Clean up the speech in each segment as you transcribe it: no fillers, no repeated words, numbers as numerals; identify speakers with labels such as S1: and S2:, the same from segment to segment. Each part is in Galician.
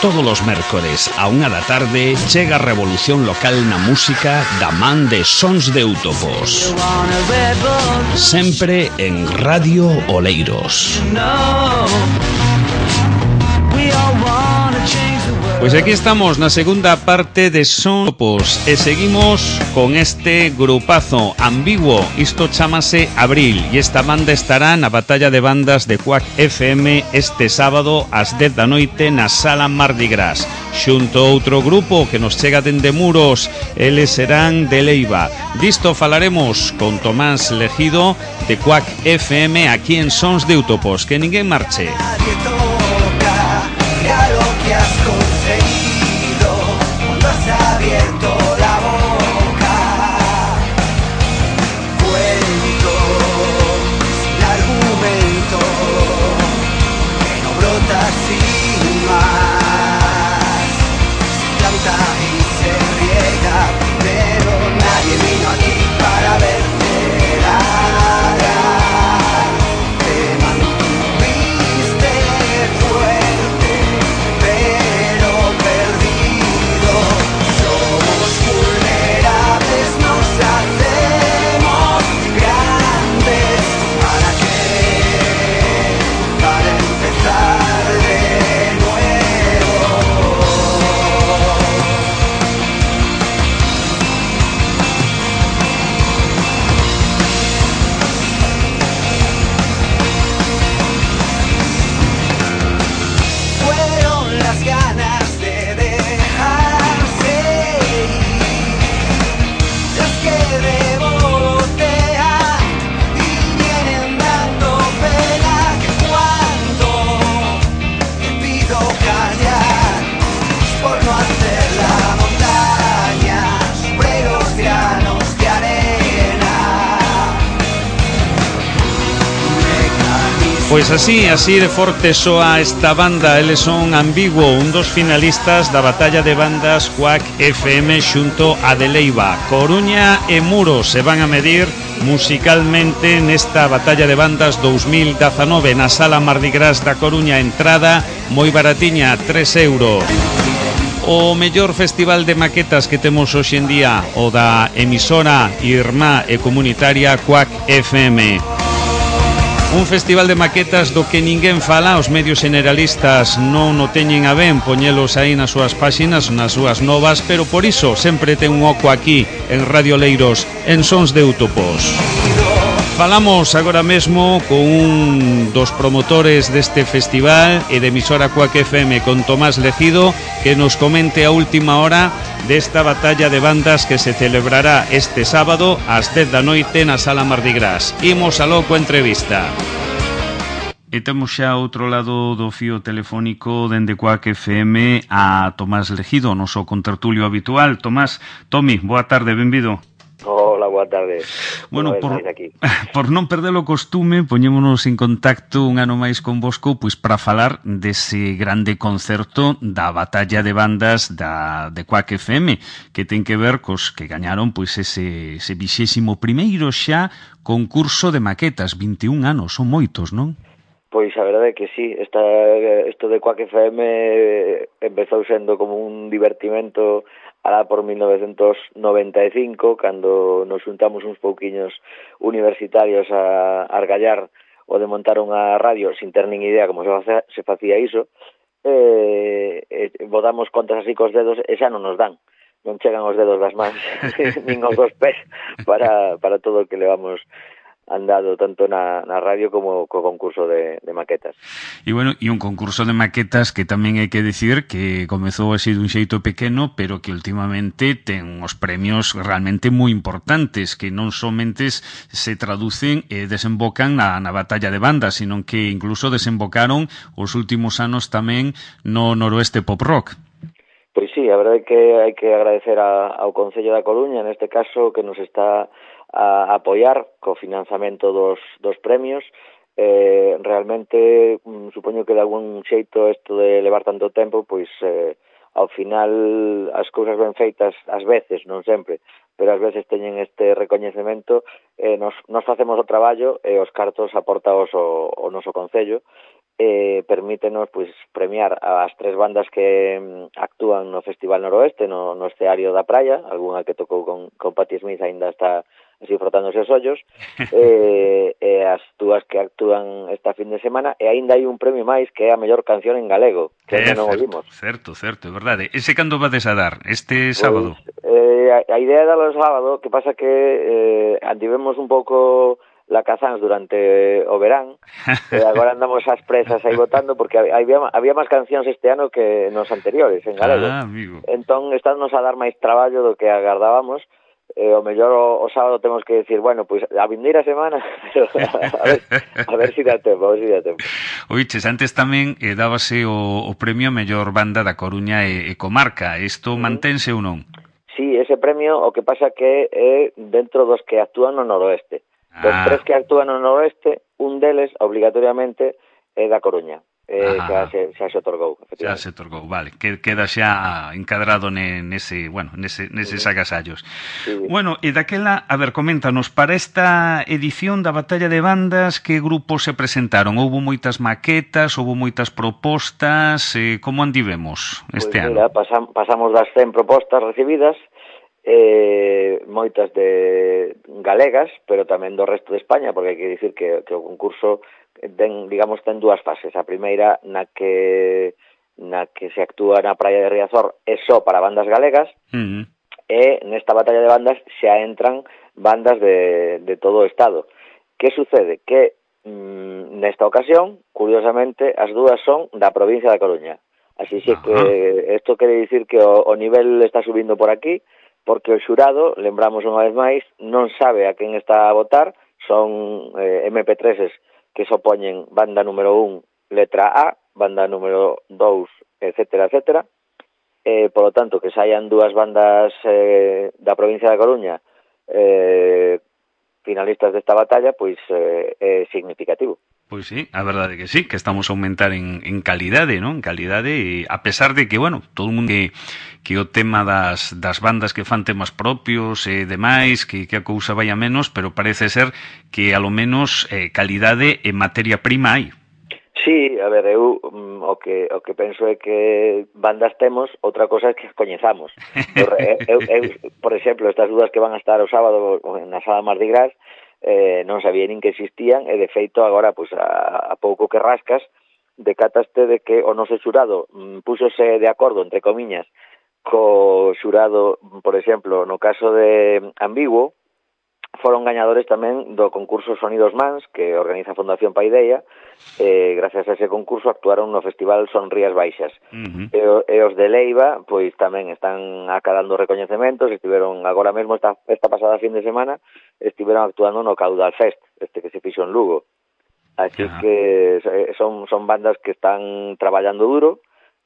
S1: Todos os mércores a 1 da tarde chega a revolución local na música da man de Sons de Eutopos. Sempre en Radio Oleiros. Pois aquí estamos na segunda parte de Sons de Eutopos e seguimos con este grupazo ambiguo. Isto chamase Abril e esta banda estará na batalla de bandas de Quack FM este sábado ás 10 da noite na Sala Mardi Gras. Xunto a outro grupo que nos chega dende Muros, eles serán de Leiva. Disto falaremos con Tomás Legido de Quack FM aquí en Sons de Eutopos. Que ninguén marche. Pois así de forte soa esta banda. Eles son Ambiguo, un dos finalistas da batalla de bandas Quack FM xunto a de Leiva. Coruña e Muros se van a medir musicalmente nesta batalla de bandas 2019 na Sala Mardi Gras da Coruña. Entrada moi baratiña, 3 euros. O mellor festival de maquetas que temos hoxe en día, o da emisora irmá e comunitaria Quack FM. Un festival de maquetas do que ninguén fala, os medios generalistas non o teñen a ben poñelos aí nas súas páxinas, nas súas novas, pero por iso sempre ten un oco aquí en Radio Oleiros, en Sons de Eutopos. Falamos agora mesmo con un dos promotores deste festival e de emisora Quack FM, con Tomás Legido, que nos comente a última hora desta batalla de bandas que se celebrará este sábado ás 10 da noite na Sala Mardi Gras. Imos aló coa entrevista. E temos xa outro lado do fío telefónico dende Quack FM a Tomás Legido, noso contertulio habitual. Tomás, Tomi, boa tarde, benvido.
S2: Hola, boa tarde.
S1: Bueno, por non perder o costume, poñémonos en contacto un ano máis con vosco, pois para falar dese grande concerto da batalla de bandas de Quack FM, que ten que ver cos que gañaron pois ese 21º xa concurso de maquetas. 21 anos, son moitos, non?
S2: Pois a verdade é que sí, isto de Quack FM empezou sendo como un divertimento alá por 1995, cando nos juntamos uns pouquiños universitarios a argallar o de montar unha radio sin ter nin idea como se facía iso, botamos contas así cos dedos e xa non nos dan, non chegan os dedos das mans nin os dos pés para todo o que levamos andado tanto na radio como co concurso de maquetas.
S1: E bueno, e un concurso de maquetas que tamén hai que dicir que comezou así dun xeito pequeno, pero que últimamente ten uns premios realmente moi importantes, que non somente se traducen e desembocan na batalla de bandas, sino que incluso desembocaron os últimos anos tamén no noroeste pop rock.
S2: Pois sí, a verdade é que hai que agradecer ao Concello da Coruña, neste caso, que nos está a apoiar co financiamento dos premios. Realmente supoño que de algún xeito isto de levar tanto tempo, pois ao final as cousas ben feitas ás veces, non sempre, pero ás veces teñen este recoñecemento. Nos facemos o traballo e os cartos aportaos o noso Concello, permítenos pois premiar as 3 bandas que actúan no Festival Noroeste, no escenario da praia, algunha que tocou con Patti Smith aínda está así frotándose os ollos, e as 2 que actúan esta fin de semana, e aínda hai un premio máis que é a mellor canción en galego, que aínda non o vimos.
S1: Certo, é verdade. Ese cando vades a dar? Este sábado?
S2: A idea é dalo o sábado, que pasa que andivemos un pouco lacazans durante o verán, e agora andamos ás presas aí votando, porque había máis cancións este ano que nos anteriores, en galego.
S1: Amigo.
S2: Entón, estándonos a dar máis traballo do que agardábamos, o mellor o sábado temos que decir, bueno, pois a vindeira semana, pero a ver si dá tempo,
S1: Oiches, antes tamén dábase o premio a mellor banda da Coruña e comarca. Isto mantense ou non?
S2: Sí, ese premio o que pasa que é dentro dos que actúan no noroeste. Dos 3 que actúan no noroeste, un deles, obligatoriamente, é da Coruña. Xa se otorgou, efectivamente.
S1: Xa se otorgou, vale. Queda xa encadrado neses agasallos. Sí. Bueno, e daquela, a ver, coméntanos, para esta edición da Batalla de Bandas, que grupos se presentaron? Houbo moitas maquetas, houbo moitas propostas, como andivemos este ano?
S2: Mira, pasamos das 100 propostas recibidas, moitas de galegas, pero tamén do resto de España, porque hai que dicir que o concurso ten 2 fases. A primeira na que se actúa na praia de Riazor é só para bandas galegas, e nesta batalla de bandas xa entran bandas de todo o estado. Que sucede? Que nesta ocasión, curiosamente, as 2 son da provincia da Coruña. Así que isto quere dicir que o nivel está subindo por aquí, porque o xurado, lembramos unha vez máis, non sabe a quen está a votar, son MP3s que se opoñen banda número 1, letra A, banda número 2, etcétera, etcétera. Por lo tanto, que saian 2 bandas da provincia da Coruña finalistas desta batalla, pois é significativo.
S1: Pois sí, a verdade que sí, que estamos a aumentar en calidade, non? En calidade, e a pesar de que, bueno, todo o mundo que o tema das bandas que fan temas propios e demais, que a cousa vai a menos, pero parece ser que a lo menos calidade e materia prima hai.
S2: Sí, a ver, eu o que penso é que bandas temos, outra cosa é que as coñezamos. eu, por exemplo, estas 2 que van a estar o sábado na Sala Mardi Gras, non sabía nin que existían, e de feito agora, pois a pouco que rascas, decataste de que o noso xurado púxose de acordo, entre comiñas, co xurado, por exemplo, no caso de Ambiguo, foron gañadores tamén do concurso Sonidos Mans, que organiza a Fundación Paideia, e gracias a ese concurso actuaron no Festival Sonrías Baixas. E os de Leiva, pois tamén están acadando recoñecementos, estiveron agora mesmo esta pasada fin de semana, estiveron actuando no Caudal Fest, que se fixo en Lugo. Así que son bandas que están traballando duro,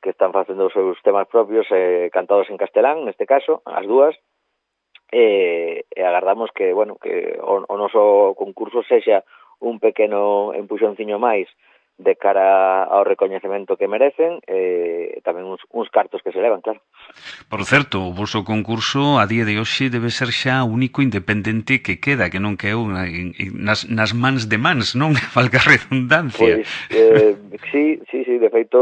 S2: que están facendo os seus temas propios, cantados en castelán, neste caso, as 2, e agardamos que, bueno, que o noso concurso sexa un pequeno empuxonciño máis de cara ao recoñecemento que merecen, e tamén uns cartos que se levan, claro.
S1: Por certo, o vosso concurso a día de hoxe debe ser xa o único independente que queda, que non quedou nas mans de mans, non? Valga a redundancia.
S2: Pois, sí, de feito,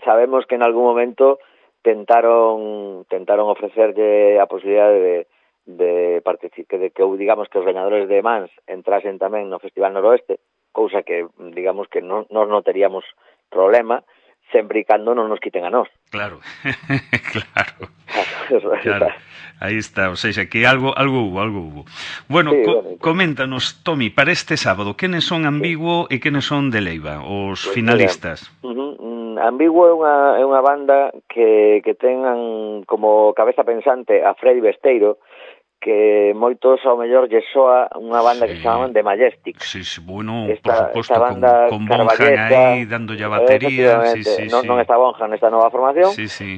S2: sabemos que en algún momento tentaron ofrecerlle a posibilidade de participar, de que digamos que os gañadores de Mans entrasen tamén no Festival Noroeste, cousa que digamos que non teríamos problema, sempre e cando non nos quiten a nós.
S1: Claro. Aí está, ou seja, que algo hubo. Bueno, sí, coméntanos, Tomi, para este sábado, quenes son Ambiguo e quenes son de Leiva, os finalistas?
S2: Ambiguo é unha banda que ten como cabeza pensante a Freddy Besteiro, que moitos ao mellor lle soa unha banda que se chamaban The Majestic.
S1: Sí, bueno, por suposto, con Bonham aí dándolle a batería.
S2: Non está Bonham nesta nova formación,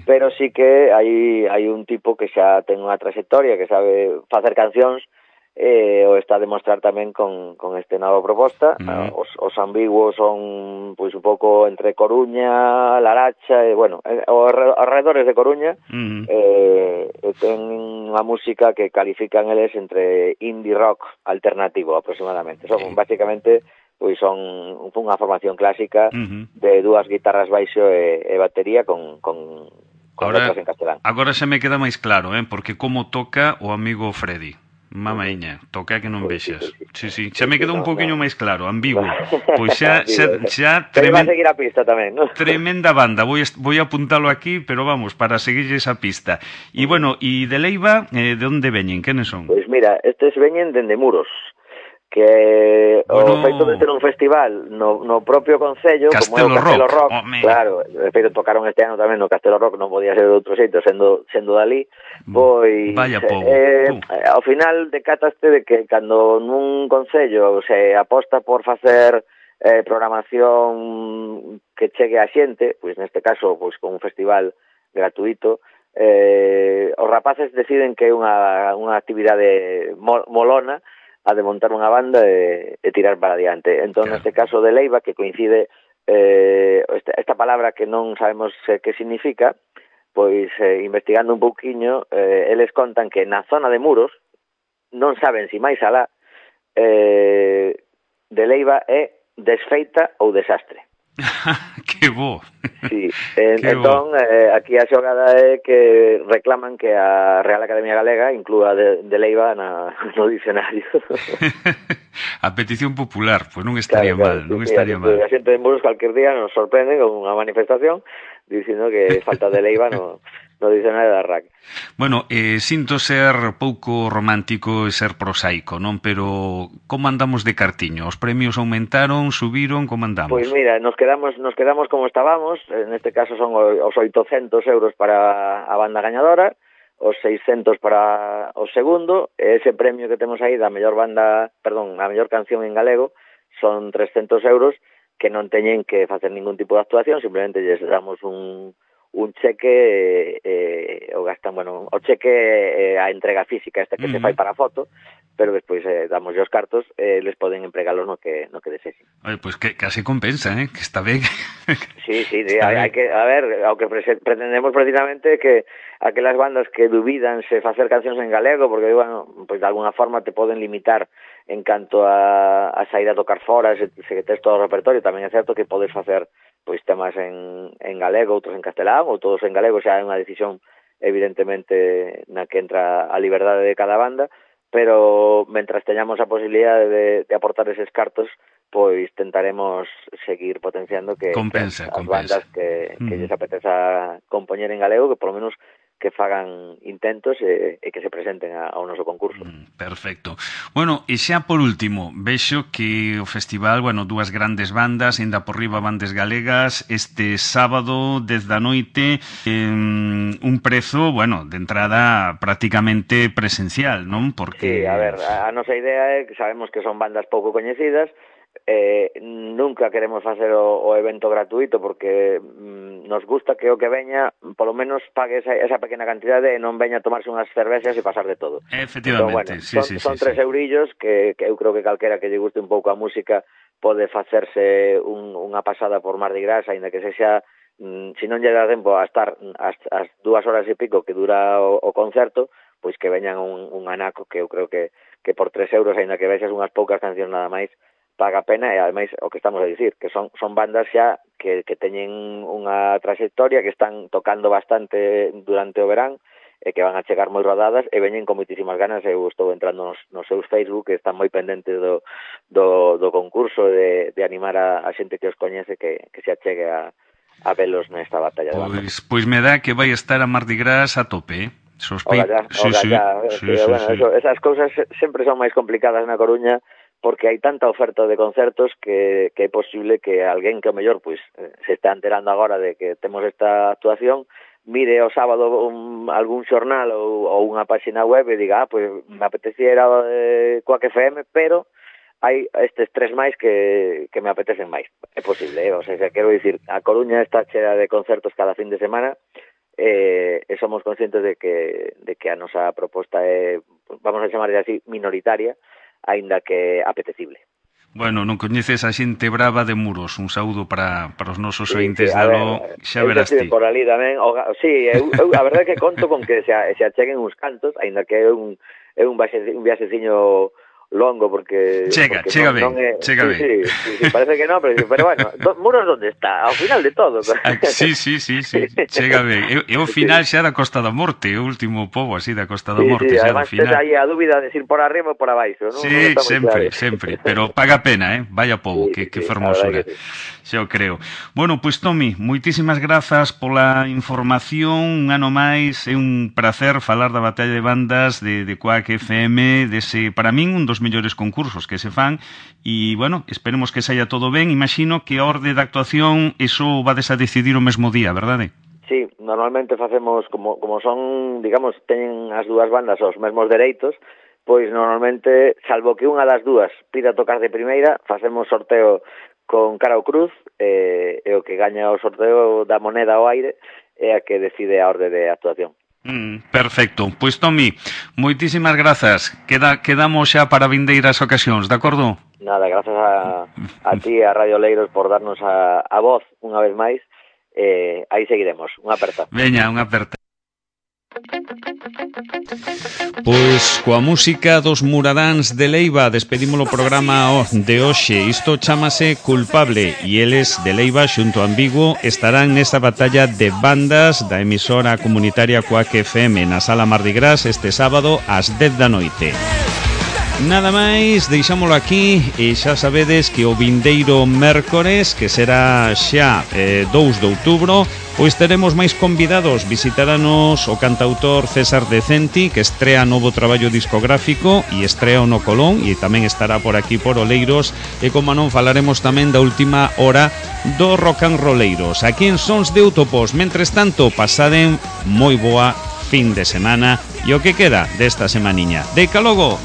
S2: pero sí que hai un tipo que xa ten unha trayectoria, que sabe facer cancións, o está a demostrar tamén con esta nova proposta. Os Ambiguos son pois un pouco entre Coruña, Laracha, e bueno, aos arredores de Coruña, ten unha música que califican eles entre indie rock alternativo aproximadamente. Son basicamente pois son unha formación clásica de dúas guitarras baixo e batería con letras en castelán.
S1: Agora se me queda máis claro, porque como toca o amigo Freddy. Mamaiña, toca que non vexas. Sí, xa me queda un poquinho máis claro, ambiguo. Pois xa
S2: pero va a seguir a pista tamén, non?
S1: Tremenda banda, vou a apuntalo aquí, pero vamos, para seguirlle esa pista. E bueno, e de Leiva, de onde veñen? Quenes son?
S2: Pois mira, estes veñen dende Muros, que o feito de ter un festival no propio concello, como é o Castelo Rock, claro, de feito tocaron este ano tamén no Castelo Rock, non podía ser de outro xeito, sendo dali, pois ao final decataste de que cando nun concello se aposta por facer programación que chegue a xente, pois neste caso pois con un festival gratuito, os rapaces deciden que é unha actividade molona a de montar unha banda e tirar para adiante. Entón, neste caso de Leiva, que coincide esta palabra que non sabemos que significa, pois investigando un pouquiño, eles contan que na zona de Muros non saben si máis alá de Leiva é desfeita ou desastre.
S1: Que bo.
S2: Sí, entón aquí a xogada é que reclaman que a Real Academia Galega inclúa de Leiva no dicionario.
S1: A petición popular, pois non estaría mal, non estaría mal.
S2: A xente de Muros calquer día nos sorprende con unha manifestación dicindo que falta de Leiva no dicionario da RAC.
S1: Bueno, sinto ser pouco romántico e ser prosaico, non? Pero como andamos de cartiño? Os premios aumentaron, subiron, como andamos?
S2: Pois mira, nos quedamos como estábamos, neste caso son os 800 euros para a banda gañadora, os 600 para o segundo, e ese premio que temos aí da mellor a mellor canción en galego son 300 euros que non teñen que facer ningún tipo de actuación, simplemente lles damos un cheque o gastan, o cheque a entrega física esta que se fai para a foto, pero despois damos os cartos les poden empregalos no que desexen.
S1: Oye, pois que casi compensa, que está ben.
S2: Sí, hai que, a ver, ao que pretendemos precisamente que aquelas bandas que dubidan se facer cancións en galego, porque, pois de alguna forma te poden limitar en canto a sair a tocar fora, se tes todo o repertorio, tamén é certo que podes facer pois temas en galego, outros en castelán, ou todos en galego, xa é unha decisión evidentemente na que entra a liberdade de cada banda, pero mentras teñamos a posibilidade de aportar eses cartos, pois tentaremos seguir potenciando que
S1: compensa.
S2: Bandas que lles apeteza compoñer en galego, que polo menos que fagan intentos e que se presenten ao noso concurso.
S1: Perfecto. Bueno, e xa por último, vexo que o festival, dúas grandes bandas, ainda por riba bandas galegas, este sábado, 10 da noite, un prezo, de entrada prácticamente presencial, non?
S2: Porque... Sí, a ver, a nosa idea é que sabemos que son bandas pouco coñecidas, nunca queremos facer o evento gratuito porque nos gusta que o que veña polo menos pague esa pequena cantidade e non veña a tomarse unhas cervexas e pasar de todo.
S1: Efectivamente,
S2: entón, son 3 eurillos que eu creo que calquera que lle guste un pouco a música pode facerse unha pasada por Mardi Gras, aínda que sexa, se non lle dá tempo a estar as 2 horas e pico que dura o concerto, pois que veñan un anaco que eu creo que por 3 euros, aínda que vexas unhas poucas cancións nada máis, paga pena, e ademais o que estamos a dicir, que son bandas xa que teñen unha trayectoria, que están tocando bastante durante o verán, e que van a chegar moi rodadas, e veñen con moitísimas ganas. Eu estou entrando nos seus Facebook, que están moi pendentes do concurso, de animar a xente que os coñece, que se achegue a velos nesta batalla de bandas.
S1: Pois me dá que vai estar a Mardi Gras a tope,
S2: Ola ya. Esas cousas sempre son máis complicadas na Coruña, porque hai tanta oferta de concertos que é posible que alguén que o mellor se está enterando agora de que temos esta actuación, mire o sábado algún xornal ou unha página web e diga, me apetecía ir a Quack FM, pero hai estes 3 máis que me apetecen máis. É posible, o sea, quero dicir, a Coruña está chea de concertos cada fin de semana, e somos conscientes de que a nosa proposta é, vamos a chamar así, minoritaria, aínda que apetecible.
S1: Bueno, non coñeces a xente brava de Muros. Un saúdo para os nosos ointes de Aló. Xa verás ti.
S2: Por ali tamén. Sí, eu a verdade é que conto con que se acheguen uns cantos, aínda que é un viaxeciño longo porque
S1: chega ben.
S2: Sí, parece que non, pero bueno, Muros onde está? Ao final de todo.
S1: Sí, chega ben. E o final xa da Costa da Morte, o último pobo así da Costa da Morte, xa do final.
S2: Además, aí a dúbida de ir por arriba ou por abaixo, non?
S1: Sí, sempre, pero paga pena, vaya pobo, que fermosura. Xa o creo. Bueno, pois Tomi, moitísimas grazas pola información, un ano máis, é un placer falar da Batalla de Bandas de Quack FM, dese, para min, un dos mellores concursos que se fan, e, bueno, esperemos que saia todo ben. Imagino que a orde de actuación, iso vades a decidir o mesmo día, verdade?
S2: Sí, normalmente facemos, como son, digamos, teñen as dúas bandas os mesmos dereitos, pois normalmente, salvo que unha das dúas pida tocar de primeira, facemos sorteo con cara ou cruz, e o que gaña o sorteo da moneda ao aire é a que decide a orde de actuación.
S1: Perfecto. Pois Tomi, moitísimas grazas. Quedamos xa para vindeiras ocasións, de acordo?
S2: Nada, grazas a ti, a Radio Oleiros, por darnos a voz unha vez máis. Aí seguiremos. Unha aperta.
S1: Veña, unha aperta. Pois coa música dos Muradáns de Leiva despedimos o programa de hoxe. Isto chámase Culpable e eles de Leiva xunto a Ambiguo estarán nesta batalla de bandas da emisora comunitaria Quack FM na Sala Mardi Gras este sábado ás 10 da noite. Nada máis, deixámolo aquí e xa sabedes que o vindeiro mércores, que será xa 2 de outubro, pois teremos máis convidados. Visitaranos o cantautor César Decenti, que estrea novo traballo discográfico e estrea no Colón, e tamén estará por aquí por Oleiros, e como non falaremos tamén da última hora do rock and rolleiros aquí en Sons de Utopos. Mentres tanto, pasaden moi boa fin de semana e o que queda desta semaniña. Deca logo!